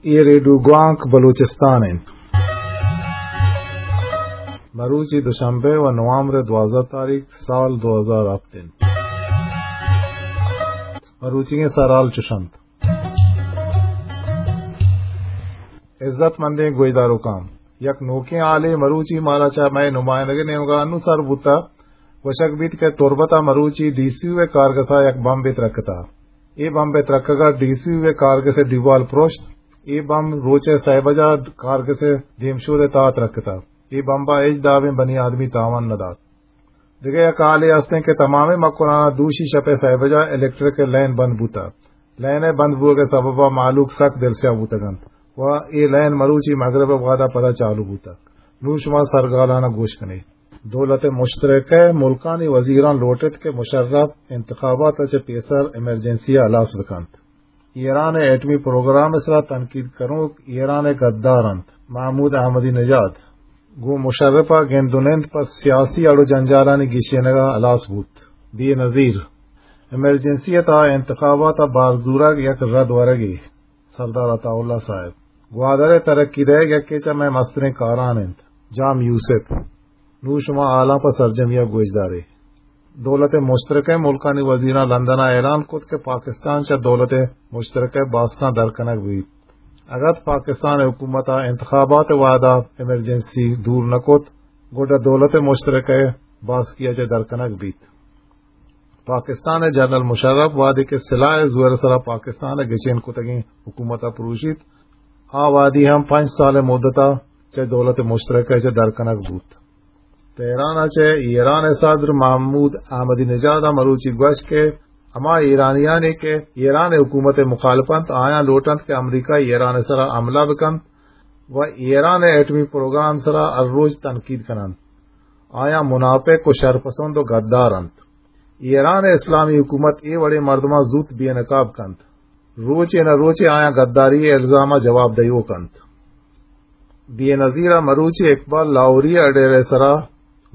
اے ریڈیو گوانک بلوچستان انت۔ مروچی دوشنبے و نوامبر دوازدہ تاریخ سال دو ہزار ہفت انت۔ مروچیگیں سرحال چوش انت۔ عزت مندیں گوشداروکاں، یک نوکیں حالے مروچی مارا چہ مئے نمائندگے نیمگا انوں سر بوتا۔ گوشگ بیت کہ تربت ء مروچی ڈی سی او ء کارگس ء یک بمبے ترکتا۔ اے بمب ء ترکگ ء ڈی سی او ء کارگس ء دیوال پروشت۔ اے بمب روچ ء سئے بجا کارگس ء دیمشود ء تہا ترکتا۔ اے بمب ء ہچ دابیں بنی آدمی تاوان نہ دات۔ دگہ یک حالے ہستیں کہ تمامیں مکران ء دوشی شپ ء سئے بجا الیکٹرک ء لین بند بوتا۔ لین ء بند بوگ ء سبب ء مہلوک سک دلسیاہ بوتگ انت و اے لین مروچی مغرب ء وہد ء پدا چالو بوتگ۔ نوں شما سرگالان ء گوش کن ئے۔ دولت مشترکہ ء ملکانی وزیراں لوٹ ایت کہ مشرف انتخابات ء چہ پیسر ایمرجنسی ء ہلاس بہ کنت۔ ایران ء ایٹمی پروگرام ء سرا تنقید کنوک ایران ء گدار انت۔ محمود احمدی نژاد گوں مشرف ء گند و نند پہ سیاسی اڑ و جنجالانی گیشینگ ء ہلاس بوت۔ بے نظیر ایمرجنسی ء تہا انتخابات ء بار زورگ یک رد ورگے۔ سردار عطاء اللہ صاحب گوادر ء ترقی دئیگ یکے چہ مئے مستریں کاران انت۔ جام یوسف۔ نوں شما حالاں پہ سرجمی ء گوشدارے۔ دولت مشترکہ ملکانی وزیراں لندن ء اعلان کت کہ پاکستان چہ دولت مشترکہ باسکاں در کنگ بیت۔ اگت پاکستان حکومت ء انتخابات وہد ء ایمرجنسی دور نہ کت، گڈا دولت مشترکہ باسکی ء چہ در کنگ بیت۔ پاکستان ء جنرل مشرف وہدے کہ سلاہ ء زور ء سرا پاکستان ء گچین کتگیں حکومت ء پروشیت، آ وہدی ہم پنچ سال ء مدت ء چہ دولت مشترکہ ء چہ در کنگ بوت۔ تہران ء چہ ایران ء صدر محمود احمدی نژاد ء مروچی گوشت کہ ہما ایرانیانے کہ ایران ء حکومت ء مخالف انت، آیاں لوٹ انت کہ امریکہ ایران ء سرا حملہ بکنت و ایران ء ایٹمی پروگرام سرا ہر روچ تنقید کننت۔ آیاں منافق و شرپسند و گدار انت۔ ایران ء اسلامی حکومت اے وڑیں مردماں زوت بے نقاب کنت۔ روچے نہ روچے آیاں گداری ء الزام ء جواب دئیوک انت۔ بے نظیر ء مروچی اقبال لاہوری ء اڈیرہ ء سرا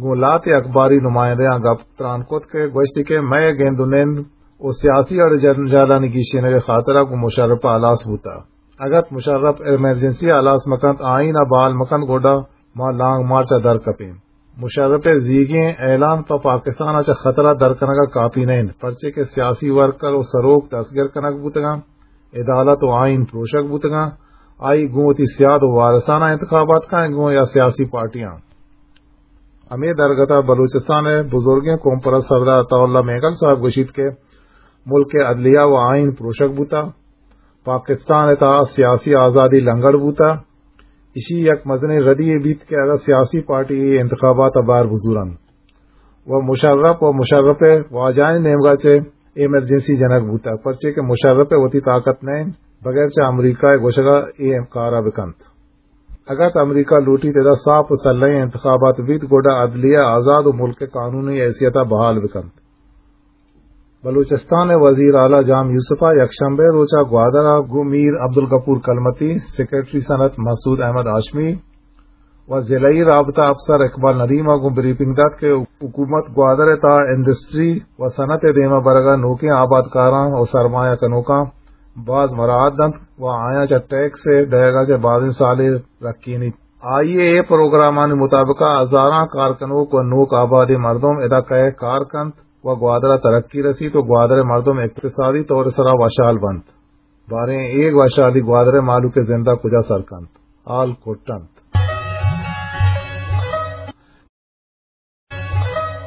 گوں لہتے اخباری نمائندہاں گپ تران کت کہ گوشتی کہ مئے گند و نند و سیاسی اڑ جنجالانی گیشینگ ء خاطرا گوں مشرف ء ہلاس بوتہ۔ اگت مشرف ایمرجنسی ء ہلاس مکنت، آئین ء بحال مکنت، گڈا ما لانگ مارچ ء در کپیں۔ مشرف ء زیگیں اعلان پہ پاکستان ء چہ خطر ء در کنگ ء کاپی نہ انت، پرچے کہ سیاسی ورکر و سروک دستگر کنگ بوتگاں، عدالت و آئین پروشگ بوتگاں، آئی گوں وتی سیاد و وارساناں انتخابات کن گوں یا سیاسی پارٹیاں۔ ہمے درگت ء بلوچستان ء بزرگیں قوم پرست سردار عطا اللہ مینگل صاحب گوشیت کہ ملک ء عدلیہ و آئین پروشگ بوتہ، پاکستان ء تہا سیاسی آزادی لنگڑ بوتہ، ایشی یک مزنیں ردی یے بیت کہ اگاں سیاسی پارٹی اے انتخابات ء بہر بزورنت و مشرف و مشرف ء واجہانی نیمگا چہ ایمرجنسی جنگ بوتگ، پرچے کہ مشرف ء وتی طاقت نہ انت بغیر چہ امریکہ ء گوشگا اے کارا بکنت۔ اگاں امریکہ لوٹیت ادا صاف و سلہیں انتخابات بیت، گڈا عدلیہ آزاد و ملک ء قانونی حیثیت ء بحال بکنت۔ بلوچستان ء وزیر اعلی جام یوسف ء یکشنبہ ء روچ ء گوادر ء گوں میر عبدالغفور کلمتی، سیکرٹری صنعت مسعود احمد ہاشمی و ضلعی رابطہ افسر اقبال ندیم ء گوں بریفنگ دات کہ حکومت گوادر ء تہا انڈسٹری و صنعت ء دیما برگ ء نوکیں آبادکاراں و سرمایہ کنوکاں باز مراعات دنت و آیاں چہ ٹیکس ء دئیگ ء چہ بازیں سالے رکینیت۔ آئی ء اے پروگرامانی مطابق ء ہزاراں کارکنوک و نوک آبادیں مردم ادا کئے کار کنت و گوادر ء ترقی رسیت و گوادر ء مردم اقتصادی طور ء سرا وشحال بنت۔ باریں اے وشحالی گوادر ء مہلوک ء زند ء کجا سر کنت؟ حال کٹ انت۔